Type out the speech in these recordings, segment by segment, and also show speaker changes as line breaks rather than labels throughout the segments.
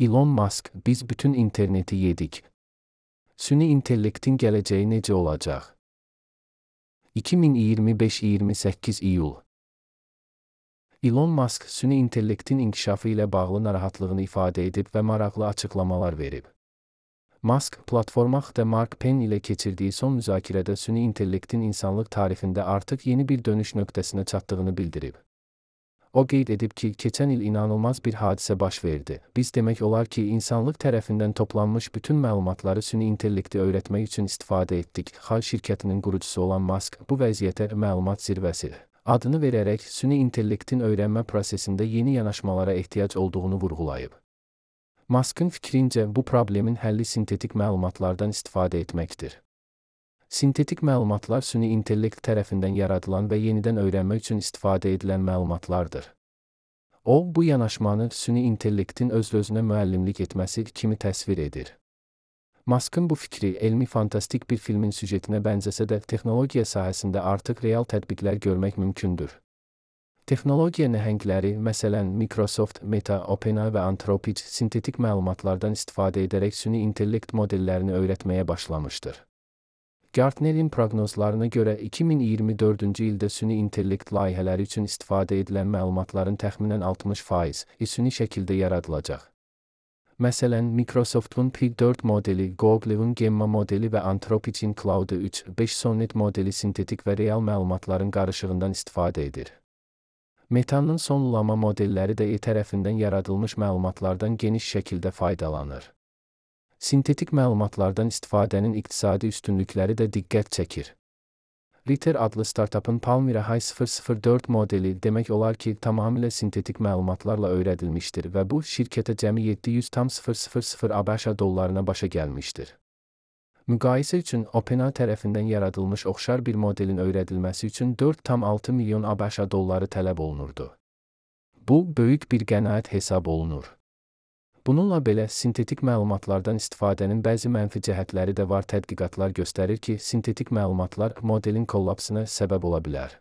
Elon Musk, biz bütün interneti yedik. Süni intellektin gələcəyi necə olacaq? 2025-28 iyul. Elon Musk, süni intellektin inkişafı ilə bağlı narahatlığını ifadə edib və maraqlı açıqlamalar verib. Musk, platforma XD Mark Penn ilə keçirdiyi son müzakirədə süni intellektin insanlıq tarixində artıq yeni bir dönüş nöqtəsinə çatdığını bildirib. O qeyd edib ki, keçən il inanılmaz bir hadisə baş verdi. Biz demək olar ki, insanlıq tərəfindən toplanmış bütün məlumatları süni intellekti öyrətmək üçün istifadə etdik. Xal şirkətinin qurucusu olan Musk, bu vəziyyətə məlumat zirvəsi adını verərək süni intellektin öyrənmə prosesində yeni yanaşmalara ehtiyac olduğunu vurğulayıb. Musk'ın fikrincə, bu problemin həlli sintetik məlumatlardan istifadə etməkdir. Sintetik məlumatlar süni intellekt tərəfindən yaradılan və yenidən öyrənmə üçün istifadə edilən məlumatlardır. O, bu yanaşmanı süni intellektin öz-özünə müəllimlik etməsi kimi təsvir edir. Musk'ın bu fikri elmi-fantastik bir filmin süjetinə bənzəsə də texnologiya sahəsində artıq real tətbiqlər görmək mümkündür. Texnologiya nəhəngləri, məsələn, Microsoft, Meta, OpenAI və Anthropic sintetik məlumatlardan istifadə edərək süni intellekt modellərini öyrətməyə başlamışdır. Gartner'in proqnozlarına görə 2024-cü ildə süni intellekt layihələri üçün istifadə edilən məlumatların təxminən 60% süni şəkildə yaradılacaq. Məsələn, Microsoft'un P4 modeli, Google'ın Gemma modeli və Anthropic'in Claude 3.5 Sonnet modeli sintetik və real məlumatların qarışığından istifadə edir. Meta'nın sonlama modelləri də tərəfindən yaradılmış məlumatlardan geniş şəkildə faydalanır. Sintetik məlumatlardan istifadənin iqtisadi üstünlükləri də diqqət çəkir. Ritter adlı startupın Palmyra High 004 modeli demək olar ki, tamamilə sintetik məlumatlarla öyrədilmişdir və bu, şirkətə cəmi 700,000 ABŞ dollarına başa gəlmişdir. Müqayisə üçün, OpenAI tərəfindən yaradılmış oxşar bir modelin öyrədilməsi üçün 4,6 milyon ABŞ dolları tələb olunurdu. Bu, böyük bir qənaət hesab olunur. Bununla belə, sintetik məlumatlardan istifadənin bəzi mənfi cəhətləri də var. Tədqiqatlar göstərir ki, sintetik məlumatlar modelin kollapsına səbəb ola bilər.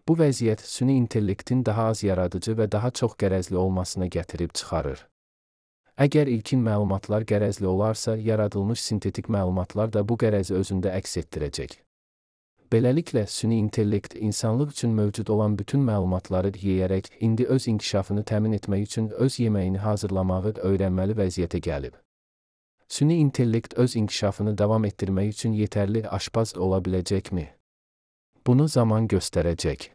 Bu vəziyyət süni intellektin daha az yaradıcı və daha çox qərəzli olmasına gətirib çıxarır. Əgər ilkin məlumatlar qərəzli olarsa, yaradılmış sintetik məlumatlar da bu qərəzi özündə əks etdirəcək. Beləliklə, süni intellekt insanlıq üçün mövcud olan bütün məlumatları yeyərək, indi öz inkişafını təmin etmək üçün öz yeməyini hazırlamağı öyrənməli vəziyyətə gəlib. Süni intellekt öz inkişafını davam etdirmək üçün yetərli aşpaz ola biləcəkmi? Bunu zaman göstərəcək.